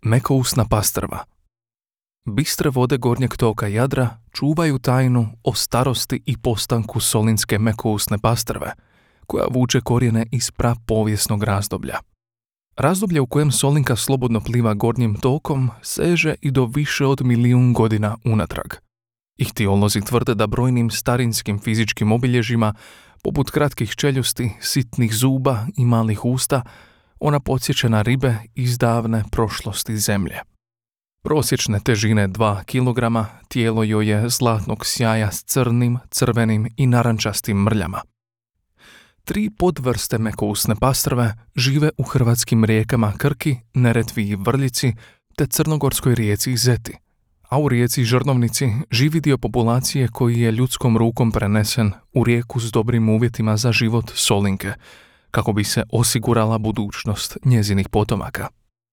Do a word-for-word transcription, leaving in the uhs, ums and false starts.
Mekousna pastrva. Bistre vode gornjeg toka Jadra čuvaju tajnu o starosti i postanku solinske mekousne pastrve, koja vuče korijene iz prapovijesnog razdoblja. Razdoblje u kojem Solinka slobodno pliva gornjim tokom seže i do više od milijun godina unatrag. Ihtiolozi tvrde da brojnim starinskim fizičkim obilježjima, poput kratkih čeljusti, sitnih zuba i malih usta, ona podsjeća na ribe iz davne prošlosti zemlje. Prosječne težine dva kilograma, tijelo joj je zlatnog sjaja s crnim, crvenim i narančastim mrljama. Tri podvrste mekousne pastrve žive u hrvatskim rijekama Krki, Neretvi i Vrljici te crnogorskoj rijeci Zeti, a u rijeci Žrnovnici živi dio populacije koji je ljudskom rukom prenesen u rijeku s dobrim uvjetima za život Solinke, kako bi se osigurala budućnost njezinih potomaka.